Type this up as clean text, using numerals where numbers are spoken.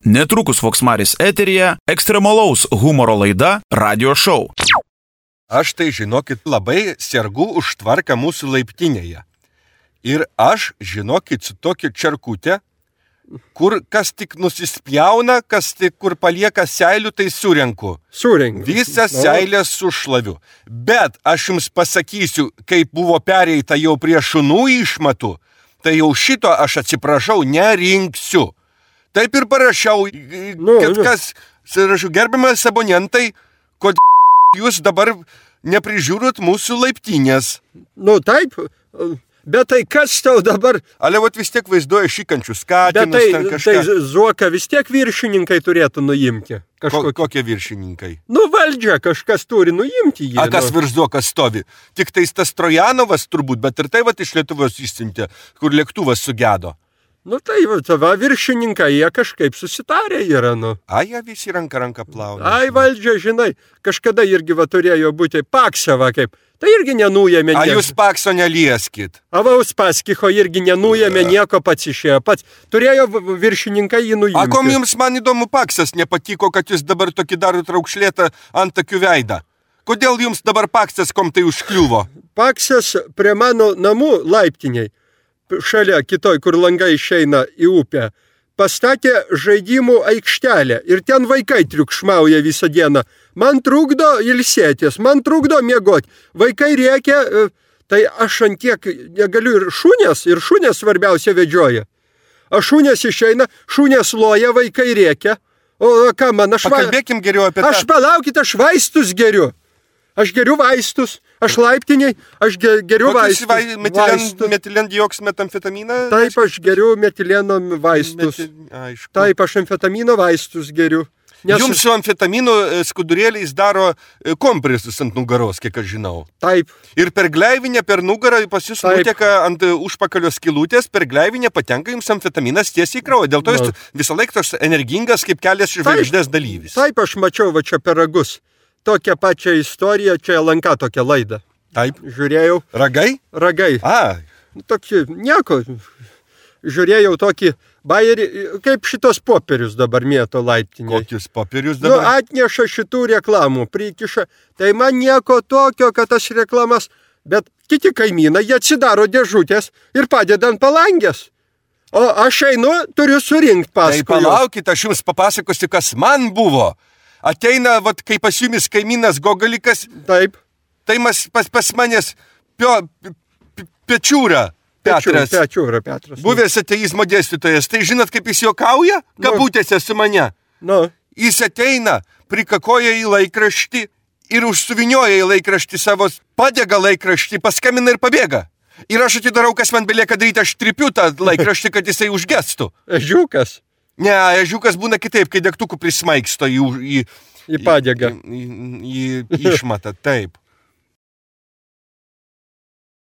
Netrukus Voksmaris eteryje ekstremalaus humoro laida Radio Show. Aš tai, žinokit, labai sergu už tvarką mūsų laiptinėje. Ir aš, žinokit, su tokia čerkutė, kur kas tik nusispjauna, kas tik kur palieka seilių, tai surenku. Visą seilę sušlaviu. Bet aš jums pasakysiu, kaip buvo pereita jau prie šunų išmatų, tai jau šito aš atsiprašau, nerinksiu. Taip ir parašiau, kad kas, gerbiamas abonentai, kod jūs dabar neprižiūrot mūsų laiptinės. Nu taip, bet tai kas tau dabar... Ale vat vis tiek vaizduoja šikančius katinus, ten kažką. Tai zuoka vis tiek viršininkai turėtų nuimti. Kokie viršininkai? Nu valdžia kažkas turi nuimti jį. A kas virš zuokas stovi? Tik tais tas Trojanovas turbūt, bet ir tai vat iš Lietuvos išsiuntė, kur lėktuvas sugedo. Nu tai va, viršininkai, jie kažkaip susitarė yra, nu. A, jie visi ranką plauna. Ai, valdžia, žinai, kažkada irgi va turėjo būti Pakseva kaip. Tai irgi nenujėmė nieko. A, jūs Pakso nelieskit. A, va, Uspaskicho irgi nenujėmė nieko, pats išėjo. Pats turėjo viršininkai jį nuimti. A, kom jums man įdomu Paksas nepatiko, kad jūs dabar tokį darot raukšlėtą antakių veidą? Kodėl jums dabar Paksas kom tai užkliuvo? Paksas prie mano namų laiptiniai. Šalia kitoj, kur langai išeina į upę, pastatė žaidimų aikštelę ir ten vaikai triukšmauja visą dieną. Man trukdo ilsėtis, man trukdo miegoti. Vaikai rėkia, tai aš antiek negaliu ir šunės svarbiausia vedžioja. A šunės išeina, šunės loja, vaikai rėkia. O ką man, Pakalbėkim geriau apie tą. Aš palaukit, aš vaistus geriu. Aš geriu vaistus, aš laiptiniai, aš geriu vaistus. Metilendioksmetamfetaminą? Taip, aš geriu metileno vaistus. Taip, aš amfetamino vaistus geriu. Jums su amfetamino skudurėliais daro kompresus ant nugaros, kiek aš žinau. Taip. Ir per gleivinę, per nugarą pas jūs nuteka ant užpakalio skylutės, per gleivinę patenka jums amfetaminas tiesiai į kraują. Dėl to jūs visą laiką toks energingas kaip kelias žvaigždės dalyvis. Taip, aš mačiau va čia per ragus. Tokią pačią istoriją, čia LNK tokią laidą. Taip. Žiūrėjau. Ragai? Ragai. A. Tokį, nieko. Žiūrėjau tokį bajerį, kaip šitos popierius dabar mėto laiptiniai. Kokius popierius dabar? Nu, atneša šitų reklamų, prikiša. Tai man nieko tokio, kad tas reklamas, bet kiti kaimynai, jie atsidaro dėžutės ir padeda ant palangės. O aš einu, turiu surinkti paskui. Tai palaukit, aš jums papasakosiu, kas man buvo. Ateina, vat, kai pas jumis kaimynas Gogalikas, taip. Tai pas manęs Pečiūra Petras. Pečiūra Petras. Buvęs ateizmo dėstytojas. Tai žinot, kaip jis juokauja? Kabutėse su mane. Jis ateina, prikakoja į laikraštį ir užsuvinioja į laikraštį savo, padega laikraštį, paskambina ir pabėga. Ir aš atidarau, kas man belieka daryti, aš tripiu tą laikraštį, kad jisai užgestų. Ežiukas. Ne, ežiukas būna kitaip, kai degtukų prismaigsto į padegą. Į išmatą, taip.